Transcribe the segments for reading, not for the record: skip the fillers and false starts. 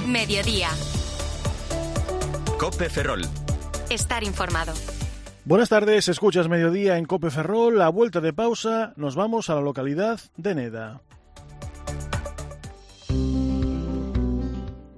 Mediodía. COPE Ferrol. Estar informado. Buenas tardes, escuchas Mediodía en COPE Ferrol. A vuelta de pausa nos vamos a la localidad de Neda.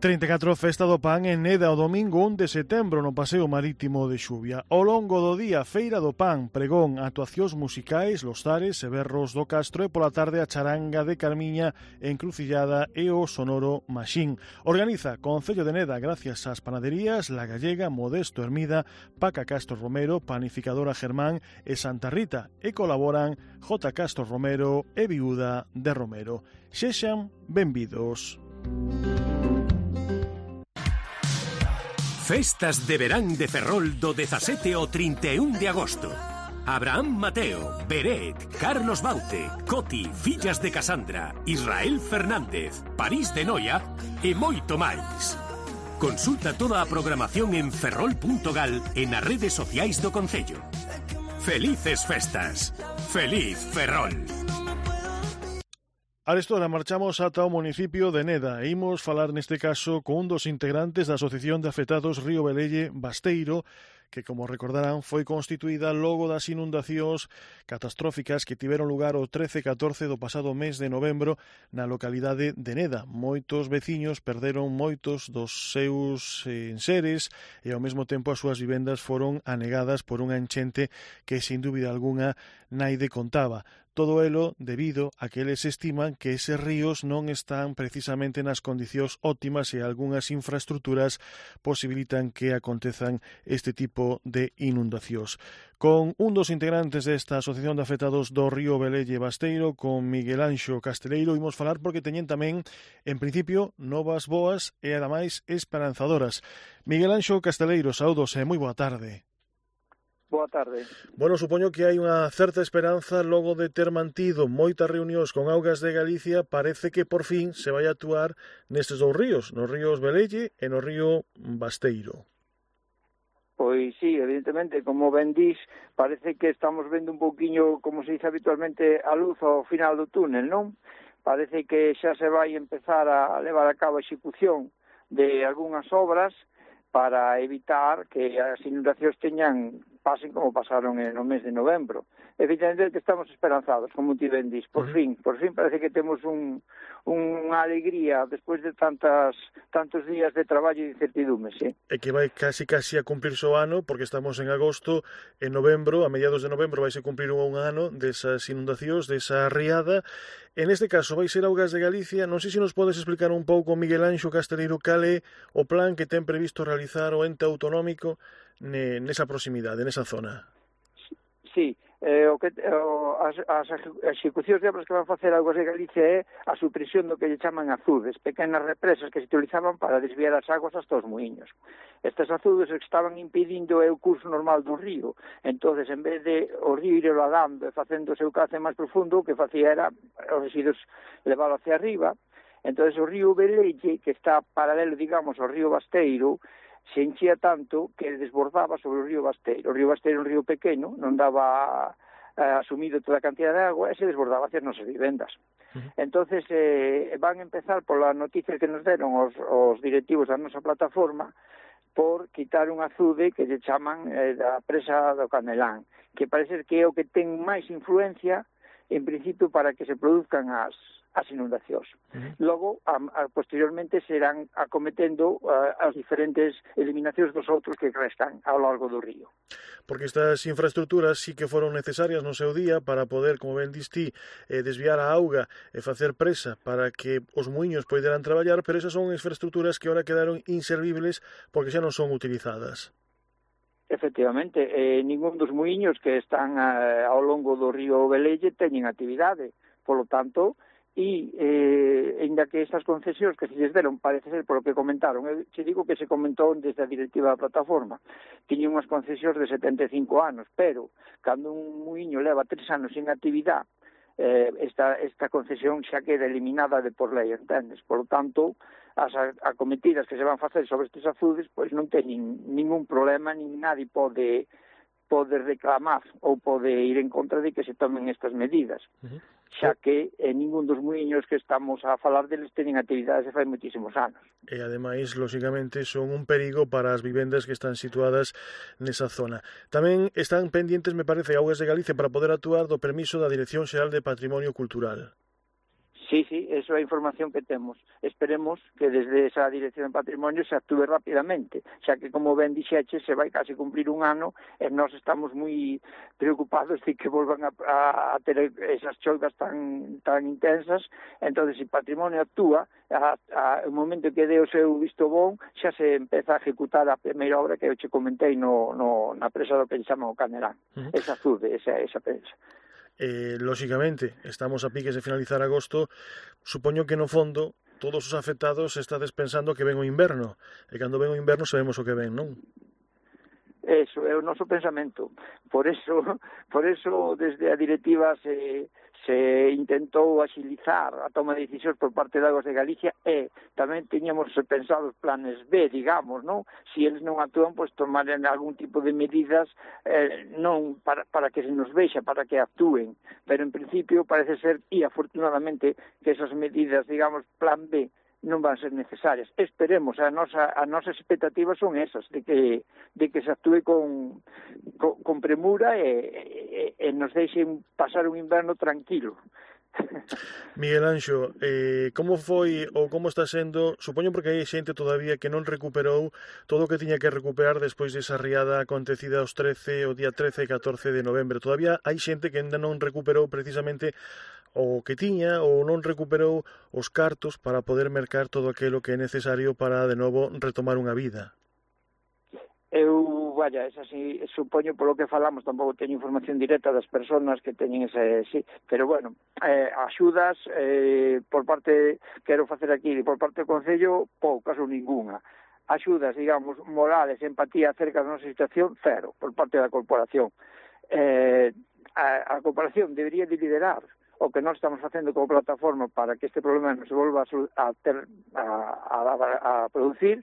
34 Festa do Pan en Neda o domingo 1 de setembro no Paseo Marítimo de Xuvia. Ao longo do día, Feira do Pan, pregón, actuacións musicais, Los Zares e Berros do Castro e pola tarde a charanga de Carmiña, Encrucillada e o Sonoro Maxín. Organiza Concello de Neda gracias ás panaderías La Gallega, Modesto Hermida, Paca Castro Romero, Panificadora Germán e Santa Rita e colaboran J. Castro Romero e Viuda de Romero. Sexan benvidos. Festas de verán de Ferrol do 17 ao 31 de agosto. Abraham Mateo, Beret, Carlos Baute, Coti, Fillas de Casandra, Israel Fernández, París de Noia e moito máis. Consulta toda a programación en ferrol.gal e nas redes sociais do Concello. Felices festas. Feliz Ferrol. Arestora marchamos ata o municipio de Neda e imos falar neste caso con un dos integrantes da Asociación de Afectados Río Velelle Basteiro, que, como recordarán, foi constituída logo das inundacións catastróficas que tiveron lugar o 13 e 14 do pasado mes de novembro na localidade de Neda. Moitos veciños perderon moitos dos seus enseres e ao mesmo tempo as súas vivendas foron anegadas por unha enchente que, sin dúbida algunha, naide contaba. Todo elo debido a que eles estiman que eses ríos non están precisamente nas condicións óptimas e algunhas infraestructuras posibilitan que acontezan este tipo de inundacións. Con un dos integrantes desta Asociación de Afectados do Río Velelle Basteiro, con Miguel Anxo Casteleiro, imos falar porque teñen tamén, en principio, novas boas e ademais esperanzadoras. Miguel Anxo Casteleiro, saúdos e moi boa tarde. Boa tarde. Bueno, supoño que hai unha certa esperanza logo de ter mantido moitas reunións con Augas de Galicia, parece que por fin se vai actuar nestes dous ríos, nos ríos Velelle e no río Basteiro. Pois sí, evidentemente, como ben dís, parece que estamos vendo un pouquiño, como se dice habitualmente, a luz ao final do túnel, non? Parece que xa se vai empezar a levar a cabo a execución de algunhas obras para evitar que as inundacións pasen como pasaron no mes de novembro. Evidentemente que estamos esperanzados, como ti ben dís. Por fin parece que temos unha alegría despois de tantos días de traballo e de incertidume, sí. E que vai casi a cumplirse o ano, porque estamos en agosto, en novembro, a mediados de novembro vai se cumplir un ano desas inundacións, desa riada. En este caso vai ser Augas de Galicia. Non sei se nos podes explicar un pouco, Miguel Anxo Casteleiro, cal é o plan que ten previsto realizar o ente autonómico nesa proximidade, nesa zona. Sí, as execucións de obras que van facer Augas de Galicia é a supresión do que lle chaman azudes, pequenas represas que se utilizaban para desviar as aguas hasta os muiños. Estes azudes estaban impedindo o curso normal do río, entonces en vez de o río ir erodando e facendo o seu cauce máis profundo, o que facía era os residuos leválo hacia arriba. Entonces o río Velelle, que está paralelo, digamos, ao río Basteiro, se enchía tanto que desbordaba sobre o río Basteiro. O río Basteiro é un río pequeno, non daba asumido toda a cantidad de agua e se desbordaba hacia as nosas vivendas. Entonces van empezar pola noticia que nos deron os directivos da nosa plataforma por quitar un azude que lle chaman da presa do Canelán, que parece que é o que ten máis influencia en principio para que se produzcan as inundacións. Logo, posteriormente, serán acometendo as diferentes eliminacións dos outros que restan ao largo do río. Porque estas infraestructuras sí que foron necesarias no seu día para poder, como ben distí, desviar a auga e facer presa para que os muiños poderan traballar, pero esas son infraestructuras que agora quedaron inservibles porque xa non son utilizadas. Efectivamente, ningún dos muiños que están ao longo do río Velelle teñen actividade, polo tanto, e ainda que estas concesións que se lles deron, parece ser por o que comentaron, eu te digo que se comentou desde a directiva da plataforma, tiñen unhas concesións de 75 anos, pero cando un muiño leva 3 anos sin actividade, esta concesión xa queda eliminada de por lei, entendes? Por lo tanto, as acometidas que se van facer sobre estes azudes, pois non teñen ningún problema, nin nadie pode pode reclamar ou pode ir en contra de que se tomen estas medidas, xa que ningún dos muiños que estamos a falar deles teñen actividades de fai moitísimos anos. E ademais, lóxicamente, son un perigo para as vivendas que están situadas nesa zona. Tamén están pendientes, me parece, Augas de Galicia para poder actuar do permiso da Dirección Xeral de Patrimonio Cultural. Sí, eso é a información que temos. Esperemos que desde esa Dirección de Patrimonio se actúe rapidamente, xa que, como ben dixeche, se vai casi cumplir un ano e nós estamos moi preocupados de que volvan a ter esas choivas tan intensas. Entón, se Patrimonio actúa, o momento que dé o seu visto bon, xa se empeza a ejecutar a primeira obra que eu che comentei na presa do que chama o Canerán. Esa Azude, esa presa. Lóxicamente, estamos a piques de finalizar agosto, supoño que no fondo todos os afectados estades pensando que ven o inverno, e cando ven o inverno sabemos o que ven, non? Eso é o noso pensamento. Por eso desde a directiva se intentou axilizar a toma de decisións por parte de Augas de Galicia e tamén teñamos pensados planes B, digamos, non? Si eles non actúan, pois tomaren algún tipo de medidas non para que se nos vexa, para que actúen. Pero en principio parece ser, e afortunadamente, que esas medidas, digamos, plan B, non van ser necesarias. Esperemos, as nosas expectativas son esas, de que se actúe con premura e nos deixen pasar un inverno tranquilo. Miguel Anxo, como foi ou como está sendo, supoño porque hai xente todavía que non recuperou todo o que tiña que recuperar despois desa riada acontecida o día 13 e 14 de novembro. Todavía hai xente que ainda non recuperou precisamente o que tiña ou non recuperou os cartos para poder mercar todo aquilo que é necesario para de novo retomar unha vida. Esa sí, supoño polo que falamos, tampouco teño información directa das persoas que teñen ese, sí, pero bueno, axudas por parte, quero facer aquí, por parte do Concello, poucas ou ninguna. Axudas, digamos, morales, empatía acerca da nosa situación, cero, por parte da corporación. A corporación debería de liderar o que nós estamos facendo como plataforma para que este problema non se volva a producir,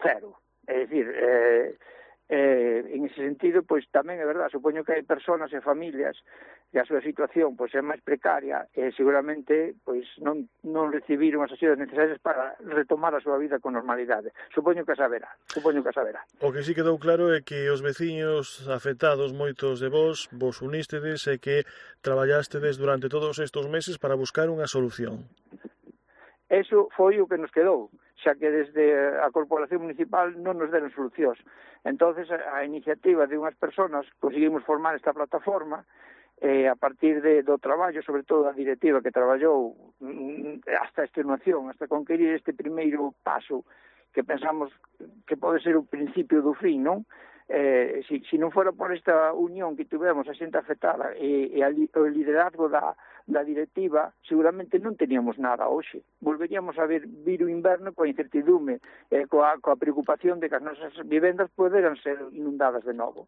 cero. É dicir, en ese sentido, pois tamén é verdade, supoño que hai persoas e familias que a súa situación pois é máis precaria e seguramente pois non recibiron as axudas necesarias para retomar a súa vida con normalidade. Supoño que saberá. O que sí quedou claro é que os veciños afectados, moitos de vos unístedes e que traballastedes durante todos estes meses para buscar unha solución. Eso foi o que nos quedou, xa que desde a Corporación Municipal non nos deron solucións. Entonces, a iniciativa de unhas persoas conseguimos formar esta plataforma a partir do traballo, sobre todo a directiva que traballou hasta extenuación, hasta conquerir este primeiro paso que pensamos que pode ser o principio do fin, non? Si non fora por esta unión que tivemos a xente afectada e o liderazgo da directiva, seguramente non teníamos nada hoxe. Volveríamos a vir o inverno coa incertidume, coa preocupación de que as nosas vivendas poderan ser inundadas de novo.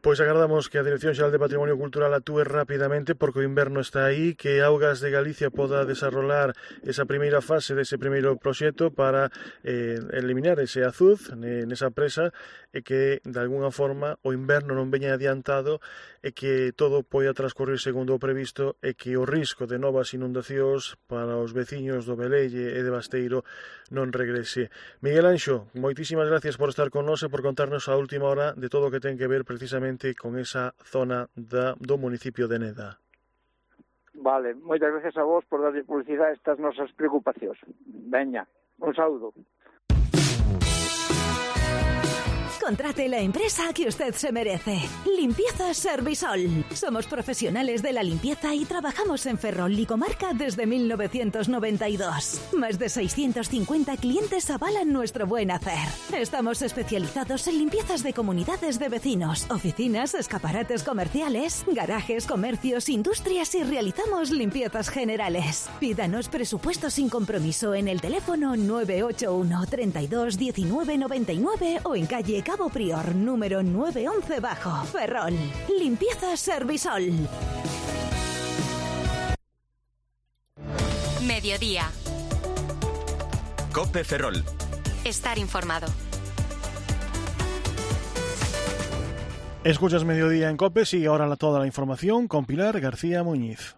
Pois agardamos que a Dirección Xeral de Patrimonio Cultural actúe rapidamente porque o inverno está aí, que Augas de Galicia poda desarrollar esa primeira fase dese primeiro proxecto para eliminar ese azuz nesa presa e que de alguna forma o inverno non veña adiantado e que todo poida transcorrer segundo o previsto e que o risco de novas inundacións para os veciños do Velelle e de Basteiro non regrese. Miguel Anxo, moitísimas gracias por estar con nós e por contarnos a última hora de todo o que ten que ver precisamente con esa zona do municipio de Neda. Vale, moitas gracias a vos por darlle publicidade a estas nosas preocupacións. Veña, un saúdo. Contrate la empresa que usted se merece. Limpieza Servisol. Somos profesionales de la limpieza y trabajamos en Ferrol y comarca desde 1992. Más de 650 clientes avalan nuestro buen hacer. Estamos especializados en limpiezas de comunidades de vecinos, oficinas, escaparates comerciales, garajes, comercios, industrias y realizamos limpiezas generales. Pídanos presupuesto sin compromiso en el teléfono 981 32 19 99 o en calle Cabo Prior, número 911 bajo, Ferrol. Limpieza Servisol. Mediodía. COPE Ferrol. Estar informado. Escuchas Mediodía en COPE, sigue ahora toda la información con Pilar García Muñiz.